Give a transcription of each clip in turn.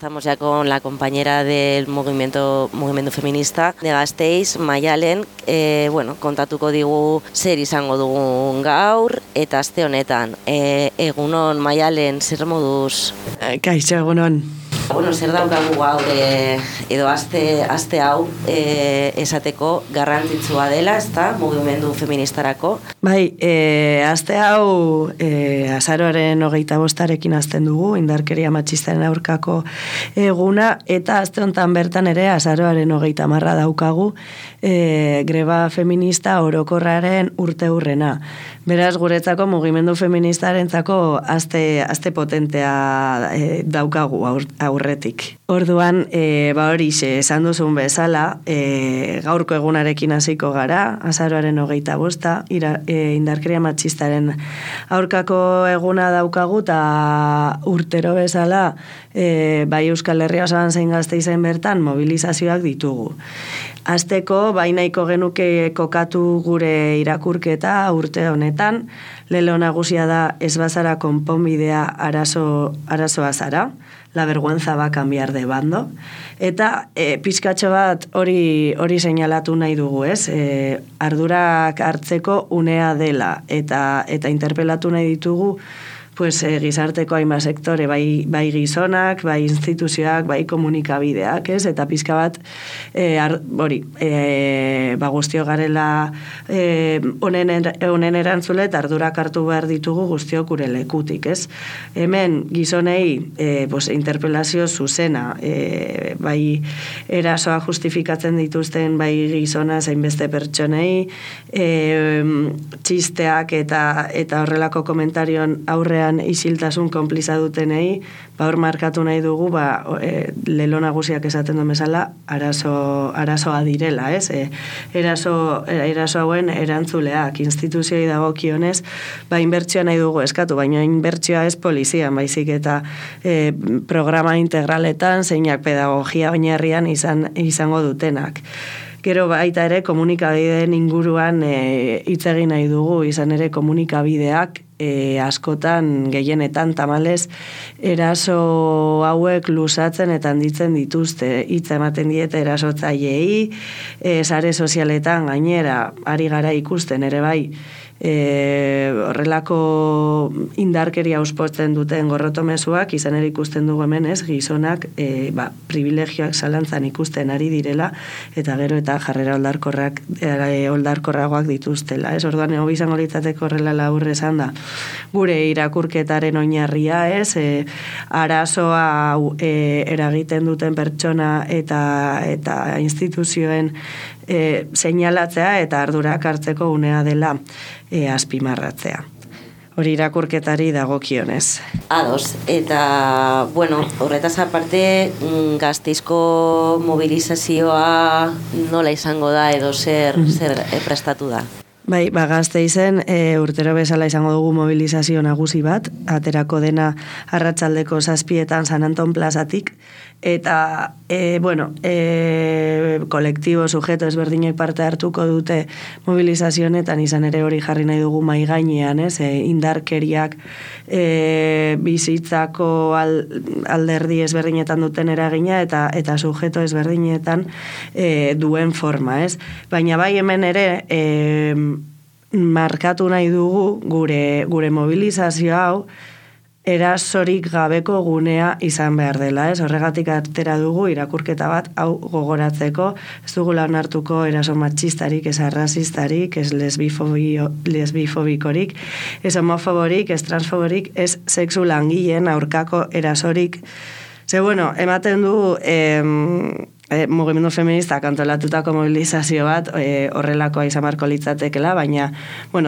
estamos ya con la compañera del movimiento feminista de Gasteiz, Maialen, kontatuko digu zer izango dugun gaur, eta aste honetan. Egunon, Maialen, zer moduz? Kaixo, egunon. Zer daukagu gaur edo aste hau esateko garrantzitsua dela, ezta, mugimendu feministarako? Bai, aste hau azaroaren 25 hasten dugu, indarkeria matxistaren aurkako eguna, eta aste honetan bertan ere azaroaren 30 daukagu greba feminista orokorraren urteurrena. Beraz, guretzako mugimendu feministarentzako aste potentea daukagu aurretik. Orduan, horixe, esan duzun bezala, gaurko egunarekin hasiko gara, azaroaren 25, indarkeria matxistaren aurkako eguna daukagu, eta urtero bezala, bai Euskal Herria osoan zein Gasteizen bertan mobilizazioak ditugu. Azteko, nahiko genuke kokatu gure irakurketa urte honetan, lelo nagusia da ez bazara konponbidea arazoa zara, la vergüenza va a cambiar de bando, eta pizkatxo bat hori seinalatu nahi dugu, ez? Ardurak hartzeko unea dela, eta interpelatu nahi ditugu gizarteko hainbat sektore, bai gizonak, bai instituzioak, bai komunikabideak, ez? Eta pizka bat, guztio garela honen erantzule, eta ardurak hartu behar ditugu guztio gure lekutik, ez? Hemen gizonei interpelazio zuzena, bai erasoa justifikatzen dituzten bai gizona zein beste pertsonei, txisteak eta horrelako komentarion aurrean isiltasun konpliza dutenei, hor markatu nahi dugu, lelo nagusiak esaten duen bezala, arazoa direla, ez? Eraso hauen erantzuleak, instituzioi dagokionez, inbertsioa nahi dugu eskatu, baina inbertsioa ez polizian, baizik eta programa integraletan, zeinak pedagogia oinarrian izango dutenak. Gero baita ere komunikabideen inguruan hitz egin nahi dugu, izan ere komunikabideak askotan gehienetan tamalez eraso hauek luzatzen eta handitzen dituzte, hitza ematen diete erasotzaileei, sare sozialetan gainera ari gara ikusten ere bai, horrelako indarkeria auspotzen duten gorrotomezuak, izan ere ikusten dugu hemen, ez, gizonak privilegioak zalantzan ikusten ari direla, eta gero eta jarrera oldarkorragoak dituztela, ez? Orduan ego izango litzateko horrela laburre esan da, gure irakurketaren oinarria, ez, arazoa eragiten duten pertsona eta instituzioen seinalatzea eta ardurak hartzeko unea dela azpimarratzea. Hori irakurketari dagokionez. Ados, eta, horretaz aparte, Gasteizko mobilizazioa nola izango da edo zer prestatu da? Gasteizen urtero bezala izango dugu mobilizazio nagusi bat, aterako dena arratsaldeko 7:00 San Anton plazatik, eta, kolektibo, sujeto ezberdinek parte hartuko dute mobilizazionetan, izan ere hori jarri nahi dugu mai gainean, ez? Indarkeriak bizitzako alderdi ezberdinetan duten eragina eta sujeto ezberdinetan duen forma, ez? Baina bai hemen ere markatu nahi dugu gure mobilizazio hau erasorik gabeko gunea izan behar dela, ez? Horregatik atera dugu irakurketa bat hau gogoratzeko, ez dugu onartuko eraso matxistarik, ez arrazistarik, ez lesbifobikorik, ez homofoborik, ez transfoborik, ez sexu langileen aurkako erasorik. Ematen du mugimendu feminista kantolatutako mobilizazio bat horrelakoa izan beharko litzatekela, baina,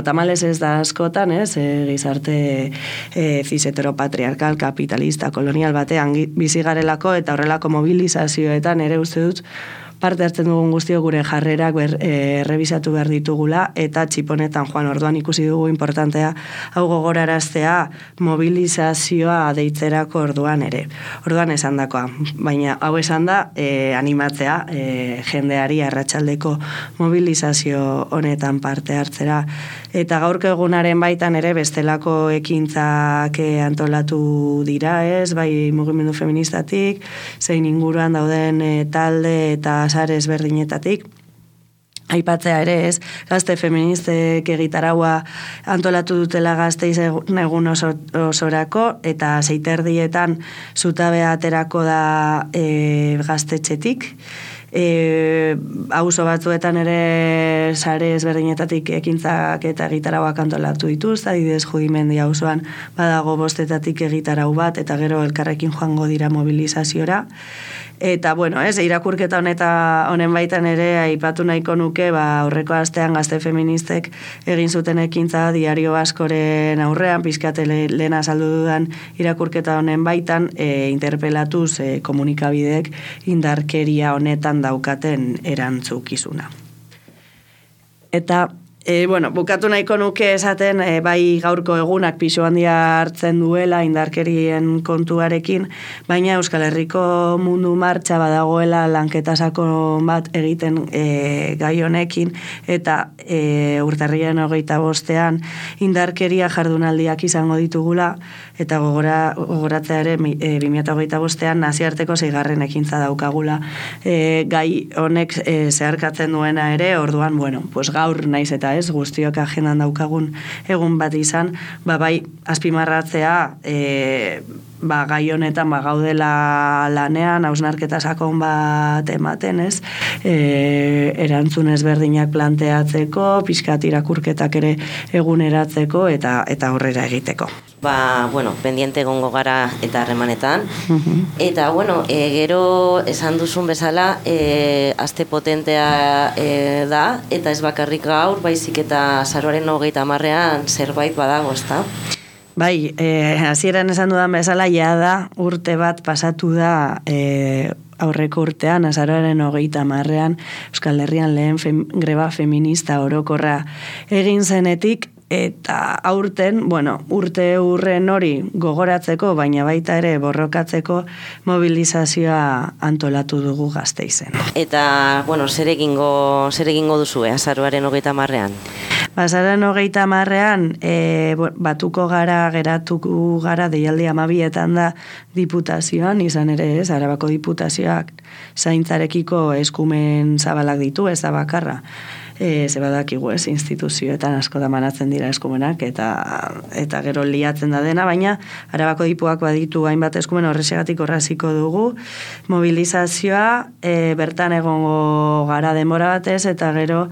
tamalez ez da askotan, ez, gizarte cis-heteropatriarkal, kapitalista, kolonial batean bizi garelako eta horrelako mobilizazioetan ere uste dut parte hartzen dugun guztio gure jarrerak errebisatu behar ditugula, eta txiponetan joan orduan ikusi dugu importantea hau gogoraraztea mobilizazioa deitzerako orduan ere. Orduan esan dakoa, baina hau esan da animatzea jendeari arratsaldeko mobilizazio honetan parte hartzera. Eta gaurko egunaren baitan ere bestelako ekintzak antolatu dira, ez, bai mugimendu feministatik, zein inguruan dauden talde eta sare ezberdinetatik. Aipatzea ere, ez, gazte feministek egitaraua antolatu dutela Gasteiz egun osorako, eta 6:30 zutabea aterako da gaztetxetik. Auzo batzuetan ere sare ezberdinetatik ekintzak eta egitarauak antolatu dituz, adibidez Judimendi auzoan badago 5 egitarau bat, eta gero elkarrekin joango dira mobilizaziora. Eta, bueno, irakurketa honen baitan ere aipatu nahiko nuke, aurreko astean gazte feministek egin zuten ekintza Diario Baskoren aurrean, pizkate lehen azaldu dudan irakurketa honen baitan, interpelatuz komunikabideek indarkeria honetan daukaten erantzukizuna. Eta, bukatu nahiko nuke esaten, bai gaurko egunak pisu handia hartzen duela indarkerien kontuarekin, baina Euskal Herriko mundu martxa badagoela lanketa sakon bat egiten gai honekin, eta urtarriaren 25 indarkeria jardunaldiak izango ditugula, eta gogoratzea ere 2025 nazioarteko 6. ekintza daukagula gai honek zeharkatzen duena ere, orduan, gaur naiz eta ez, guztiok agendan daukagun egun bat izan, bai azpimarratzea gai honetan gaudela lanean, hausnarketa sakon bat ematen, ez, erantzun ezberdinak planteatzeko, pixkat irakurketak ere eguneratzeko eta aurrera egiteko. Pendiente gongo gara eta harremanetan. Eta, gero esan duzun bezala, aste potentea da, eta ez bakarrik gaur, baizik eta azaroaren 30ean zerbait badago, ezta? Bai, hasieran esan dudan bezala, da urte bat pasatu da aurreko urtean, azaroaren 30ean, Euskal Herrian lehen greba feminista orokorra egin zenetik, eta aurten, urte hurren hori gogoratzeko, baina baita ere borrokatzeko mobilizazioa antolatu dugu Gasteizen. Eta, zer egingo duzue azaroaren 30ean? Azaroaren 30ean geratuko gara deialdi 12etan da diputazioan, izan ere ez, Arabako diputazioak zaintzarekiko eskumen zabalak ditu, ez da bakarra. Zebadakigu ez, instituzioetan asko da manatzen dira eskumenak, eta gero liatzen da dena, baina Arabako dipuak baditu hainbat eskumen horrexegatik horraziko dugu. Mobilizazioa bertan egongo gara denbora batez, eta gero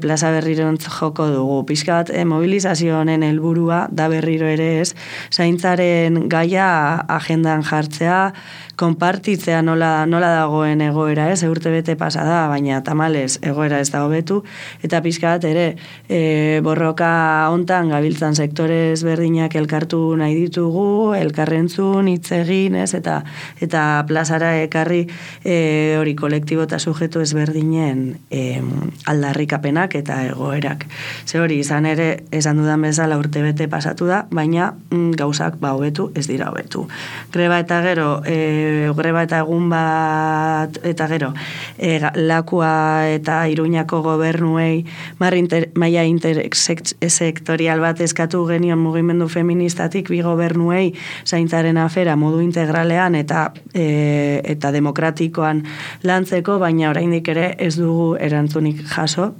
plaza berrirontz joko dugu. Pixka bat mobilizazio honen helburua da berriro ere ez, zaintzaren gaia agendan jartzea, konpartitzea nola dagoen egoera ez, urte bete pasada, baina tamalez egoera ez da hobetu, eta pixka bat ere borroka hontan gabiltzan sektore ezberdinak elkartu nahi ditugu, elkarrentzun, hitz egin ez, eta plazara ekarri hori kolektibo eta sujetu ezberdinen aldarrikapenak eta egoerak. Ze hori izan ere, esan dudan bezala urte bete pasatu da, baina gauzak hobetu ez dira hobetu. Greba eta gero, greba eta egun bat, eta gero, Lakua eta Iruñako gobernuei maila intersektorial bat eskatu genion mugimendu feministatik bi gobernuei zaintzaren afera modu integralean eta demokratikoan lantzeko, baina oraindik ere ez dugu erantzunik jaso.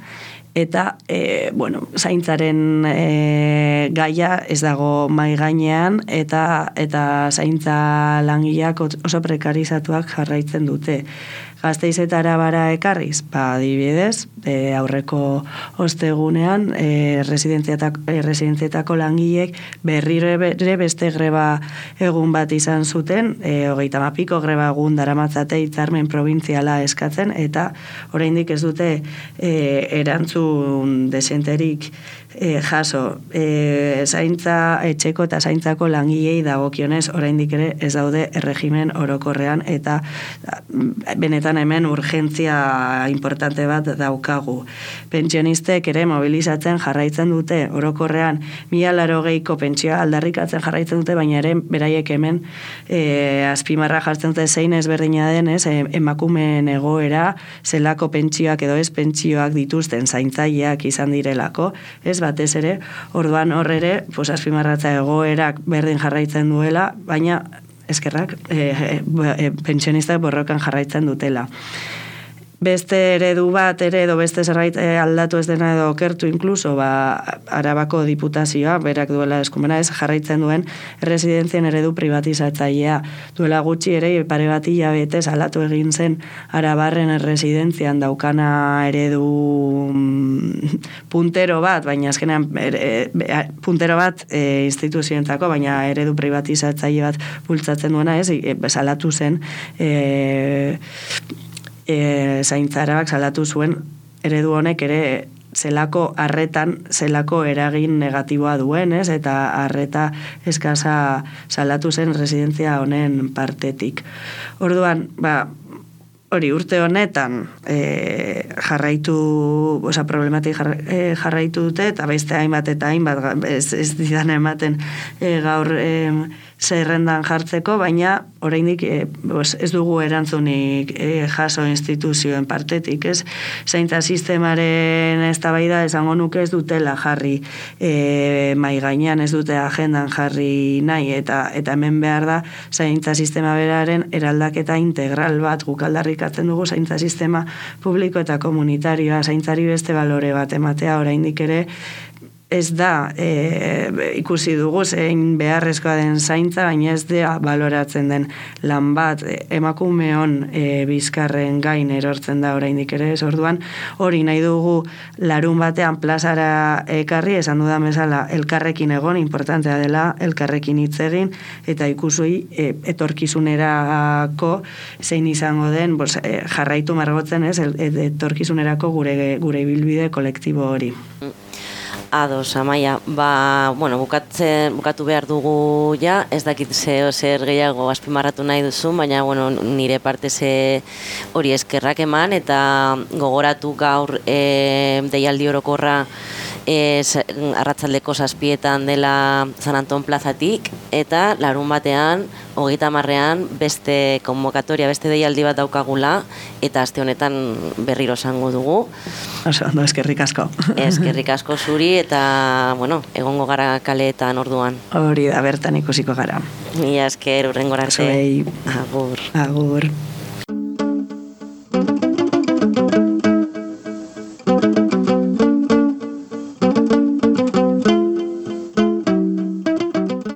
Eta, zaintzaren gaia ez dago mai gainean, eta zaintza langileak oso prekarizatuak jarraitzen dute. Gasteiz eta Arabara ekarriz, adibidez, aurreko ostegunean, residentzietako langileek berriro ere beste greba egun bat izan zuten, 30 greba egun daramatzate hitzarmen probintziala eskatzen, eta oraindik ez dute erantzun desenterik jaso. Zaintza etxeko eta zaintzako langilei dagokionez oraindik ere ez daude erregimen orokorrean, eta benetan honetan hemen urgentzia importante bat daukagu. Pentsionistek ere mobilizatzen jarraitzen dute, orokorrean 1080ko pentsioa aldarrikatzen jarraitzen dute, baina ere beraiek hemen azpimarra jartzen dute zein ezberdina den, emakumeen egoera, zelako pentsioak edo ez pentsioak dituzten zaintzaileak izan direlako, ez batez ere, orduan hor ere, azpimarratza egoerak berdin jarraitzen duela, baina eskerrak pentsionistak borrokan jarraitzen dutela. Beste eredu bat ere edo beste zerbait aldatu ez dena edo okertu inkluso, Arabako diputazioa, berak duela eskumena ez, jarraitzen duen residentzien eredu privatizatzailea. Duela gutxi ere, pare bat hilabetez aldatu egin zen Arabarren residentzian daukana eredu puntero bat, baina azkenean puntero bat instituzioentzako, baina eredu privatizatzaile bat bultzatzen duena ez, salatu zen zaintzarabak salatu zuen eredu honek ere zelako arretan, zelako eragin negatiboa duen, ez? Eta arreta eskasa salatu zen residentzia honen partetik. Orduan, hori urte honetan problematik jarraitu dute, eta beste hainbat eta hainbat ez didan ematen gaur zerrendan jartzeko, baina oraindik ez dugu erantzunik jaso instituzioen partetik, ez? Zaintza sistemaren eztabaida esango nuke ez dutela jarri mahai gainean, ez dute agendan jarri nahi, eta hemen behar da zaintza sistema beraren eraldaketa integral bat guk aldarrikatzen dugu zaintza sistema publiko eta komunitarioa, zaintzari beste balore bat ematea oraindik ere ez da ikusi dugu zein beharrezkoa den zaintza, baina ez da baloratzen den lan bat emakumeon bizkarren gain erortzen da oraindik ere, ez orduan hori nahi dugu larun batean plazara ekarri, esan dudan bezala elkarrekin egon, importantea dela elkarrekin hitz egin, eta ikusui etorkizunerako zein izango den jarraitu margotzen, ez, etorkizunerako gure ibilbide kolektibo hori. Ados, Amaia, bukatu behar dugu ja, ez dakit zer gehiago azpimarratu nahi duzu, baina nire parte hori eskerrak eman, eta gogoratu gaur deialdi orokorra arratsaldeko 7:00 dela San Anton plazatik, eta larun batean, 30ean beste konbokatoria, beste deialdi bat daukagula, eta aste honetan berriro esango dugu. Ondo, eskerrik asko. Eskerrik asko zuri, eta, egongo gara kaleetan orduan. Hori da, bertan ikusiko gara. Mila esker, hurrengora arte. Zuei. Agur. Agur.